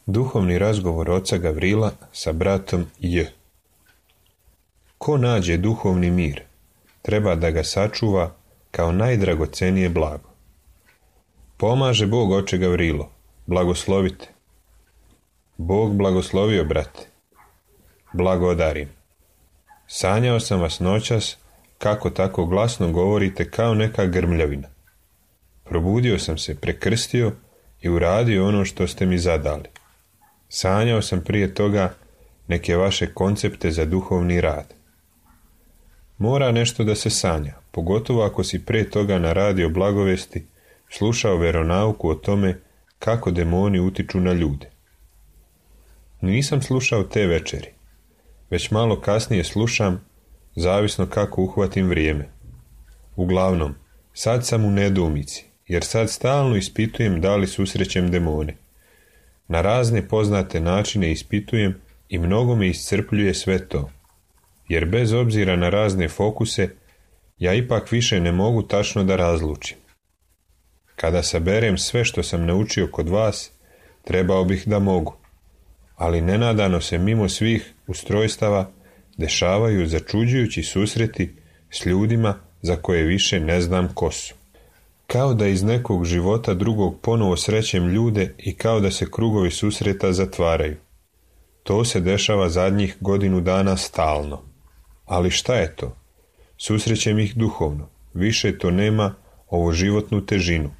Duhovni razgovor oca Gavrila sa bratom J. Ko nađe duhovni mir, treba da ga sačuva kao najdragocenije blago. Pomaže Bog, oče Gavrilo, blagoslovite. Bog blagoslovio, brate. Blagodarim. Sanjao sam vas noćas, kako tako glasno govorite kao neka grmljavina. Probudio sam se, prekrstio i uradio ono što ste mi zadali. Sanjao sam prije toga neke vaše koncepte za duhovni rad. Mora nešto da se sanja, pogotovo ako si prije toga na radio Blagovesti slušao veronauku o tome kako demoni utiču na ljude. Nisam slušao te večeri, već malo kasnije slušam, zavisno kako uhvatim vrijeme. Uglavnom, sad sam u nedoumici, jer sad stalno ispitujem da li susrećem demone. Na razne poznate načine ispitujem i mnogo me iscrpljuje sve to, jer bez obzira na razne fokuse, ja ipak više ne mogu tačno da razlučim. Kada saberem sve što sam naučio kod vas, trebao bih da mogu, ali nenadano se mimo svih ustrojstava dešavaju začuđujući susreti s ljudima za koje više ne znam ko su. Kao da iz nekog života drugog ponovo srećem ljude i kao da se krugovi susreta zatvaraju. To se dešava zadnjih godinu dana stalno. Ali šta je to? Susrećem ih duhovno. Više to nema ovo životnu težinu,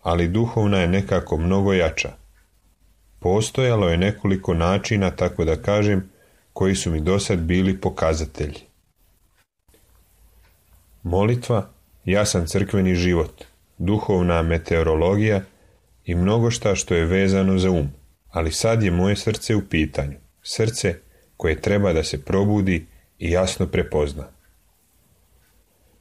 ali duhovna je nekako mnogo jača. Postojalo je nekoliko načina, tako da kažem, koji su mi dosad bili pokazatelji. Molitva, jasan crkveni život, duhovna meteorologija i mnogo šta što je vezano za um. Ali sad je moje srce u pitanju. Srce koje treba da se probudi i jasno prepozna.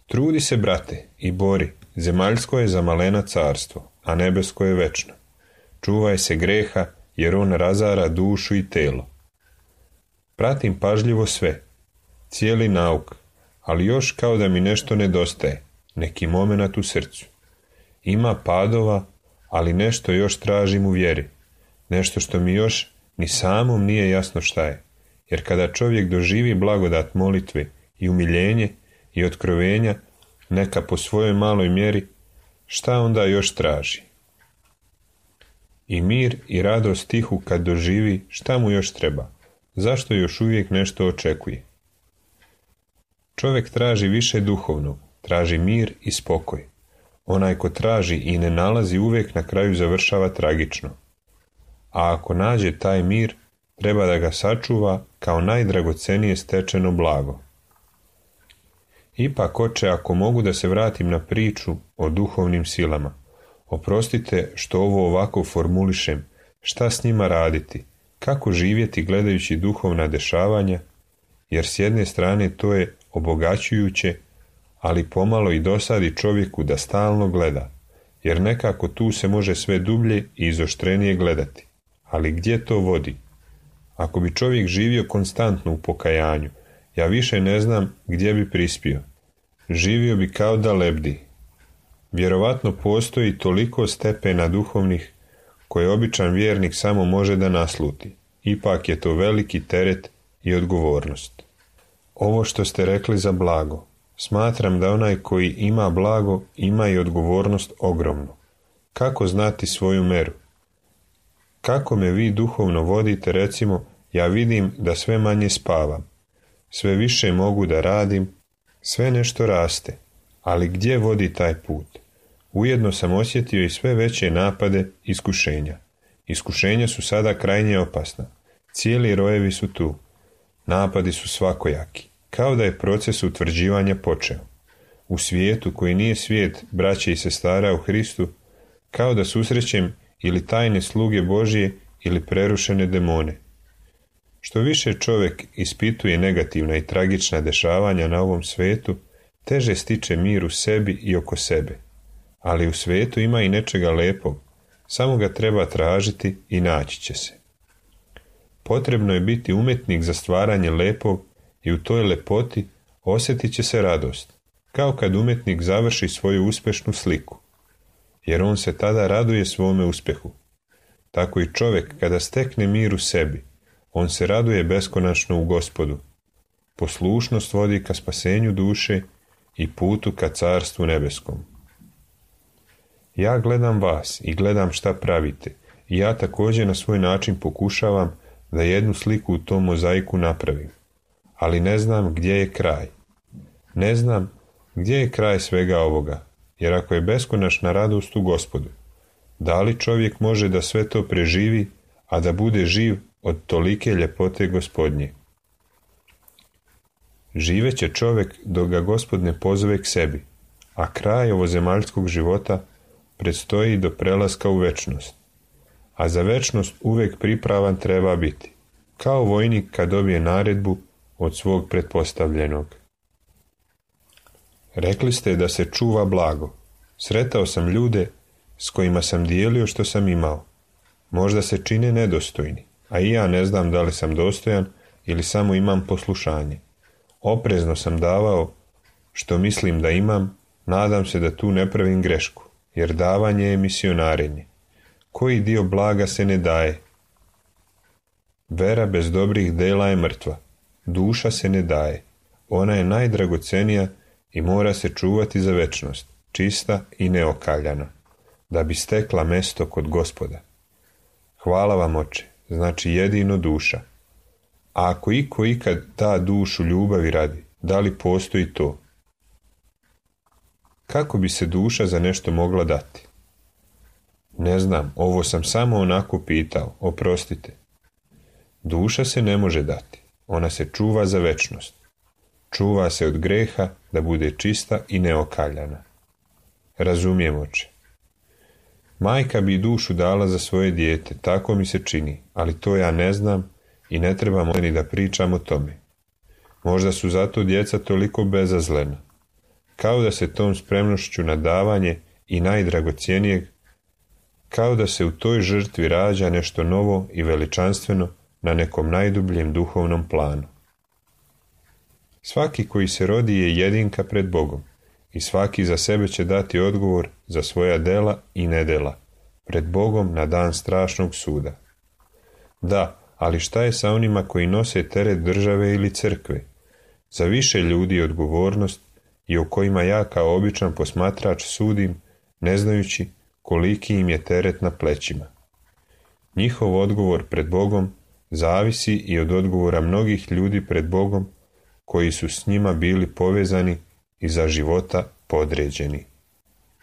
Trudi se, brate, i bori. Zemaljsko je za malena carstvo, a nebesko je večno. Čuvaj se greha, jer on razara dušu i telo. Pratim pažljivo sve, cijeli nauk, ali još kao da mi nešto nedostaje, neki momenat u srcu. Ima padova, ali nešto još tražim u vjeri, nešto što mi još ni samom nije jasno šta je, jer kada čovjek doživi blagodat molitve i umiljenje i otkrovenja, neka po svojoj maloj mjeri, šta onda još traži? I mir i radost tihu kad doživi, šta mu još treba? Zašto još uvijek nešto očekuje? Čovjek traži više duhovnog, traži mir i spokoj. Onaj ko traži i ne nalazi uvijek na kraju završava tragično. A ako nađe taj mir, treba da ga sačuva kao najdragocenije stečeno blago. Ipak, oče, ako mogu da se vratim na priču o duhovnim silama, oprostite što ovo ovako formulišem, šta s njima raditi, kako živjeti gledajući duhovna dešavanja, jer s jedne strane to je obogaćujuće, ali pomalo i dosadi čovjeku da stalno gleda, jer nekako tu se može sve dublje i izoštrenije gledati. Ali gdje to vodi? Ako bi čovjek živio konstantno u pokajanju, ja više ne znam gdje bi prispio. Živio bi kao da lebdi. Vjerovatno postoji toliko stepena duhovnih koje običan vjernik samo može da nasluti. Ipak je to veliki teret i odgovornost. Ovo što ste rekli za blago, smatram da onaj koji ima blago ima i odgovornost ogromnu. Kako znati svoju meru? Kako me vi duhovno vodite, recimo, ja vidim da sve manje spavam, sve više mogu da radim, sve nešto raste, ali gdje vodi taj put? Ujedno sam osjetio i sve veće napade iskušenja. Iskušenja su sada krajnje opasna. Cijeli rojevi su tu. Napadi su svakojaki. Kao da je proces utvrđivanja počeo. U svijetu koji nije svijet braće i sestara u Hristu, kao da susrećem ili tajne sluge Božije ili prerušene demone. Što više čovjek ispituje negativna i tragična dešavanja na ovom svijetu, teže stiče mir u sebi i oko sebe. Ali u svijetu ima i nečega lepog, samo ga treba tražiti i naći će se. Potrebno je biti umjetnik za stvaranje lepog i u toj lepoti osjetit će se radost, kao kad umjetnik završi svoju uspješnu sliku, jer on se tada raduje svome uspjehu. tako i čovjek kada stekne mir u sebi, on se raduje beskonačno u Gospodu. Poslušnost vodi ka spasenju duše i putu ka carstvu nebeskom. Ja gledam vas i gledam šta pravite, i ja također na svoj način pokušavam da jednu sliku u tom mozaiku napravim, ali ne znam gdje je kraj. Ne znam gdje je kraj svega ovoga, jer ako je beskonačna radost u Gospodu, da li čovjek može da sve to preživi, a da bude živ od tolike ljepote Gospodnje? Živeće čovjek dok ga Gospod ne pozove k sebi, a kraj ovozemaljskog života predstoji do prelaska u večnost. A za večnost uvijek pripravan treba biti, kao vojnik kad dobije naredbu od svog pretpostavljenog. Rekli ste da se čuva blago. Sretao sam ljude s kojima sam dijelio što sam imao. Možda se čine nedostojni, a i ja ne znam da li sam dostojan ili samo imam poslušanje. Oprezno sam davao što mislim da imam, nadam se da tu ne pravim grešku, jer davanje je misionarenje. Koji dio blaga se ne daje? Vera bez dobrih dela je mrtva. Duša se ne daje. Ona je najdragocenija i mora se čuvati za večnost, čista i neokaljana, da bi stekla mesto kod Gospoda. Hvala vam, Oče, znači jedino duša. A ako iko ikad da dušu ljubavi radi, da li postoji to? Kako bi se duša za nešto mogla dati? Ne znam, ovo sam samo onako pitao, oprostite. Duša se ne može dati, ona se čuva za večnost. Čuva se od greha da bude čista i neokaljana. Razumijem, Oče. Majka bi dušu dala za svoje dijete, tako mi se čini, ali to ja ne znam i ne trebamo ni da pričam o tome. Možda su zato djeca toliko bezazlena. Kao da se tom spremnošću na davanje i najdragocjenijeg, kao da se u toj žrtvi rađa nešto novo i veličanstveno na nekom najdubljem duhovnom planu. Svaki koji se rodi je jedinka pred Bogom i svaki za sebe će dati odgovor za svoja dela i nedela pred Bogom na dan strašnog suda. Da, ali šta je sa onima koji nose teret države ili crkve? Za više ljudi je odgovornost i o kojima ja kao običan posmatrač sudim, ne znajući koliki im je teret na plećima. Njihov odgovor pred Bogom zavisi i od odgovora mnogih ljudi pred Bogom koji su s njima bili povezani i za života podređeni.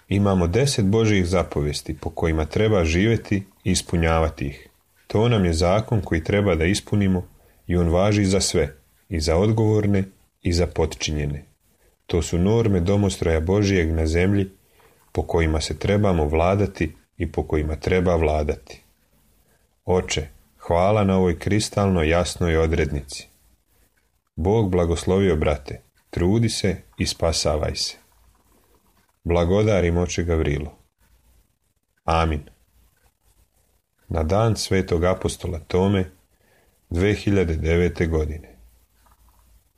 Imamo 10 Božjih zapovesti po kojima treba živjeti i ispunjavati ih. To nam je zakon koji treba da ispunimo i on važi za sve, i za odgovorne i za potčinjene. To su norme domostroja Božijeg na zemlji po kojima se trebamo vladati i po kojima treba vladati. Oče, hvala na ovoj kristalno jasnoj odrednici. Bog blagoslovio, brate, trudi se i spasavaj se. Blagodarim, Oče Gavrilo. Amin. Na dan svetog apostola Tome 2009. godine.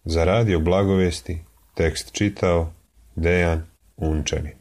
Za radio Blagovesti tekst čitao Dejan Unčanin.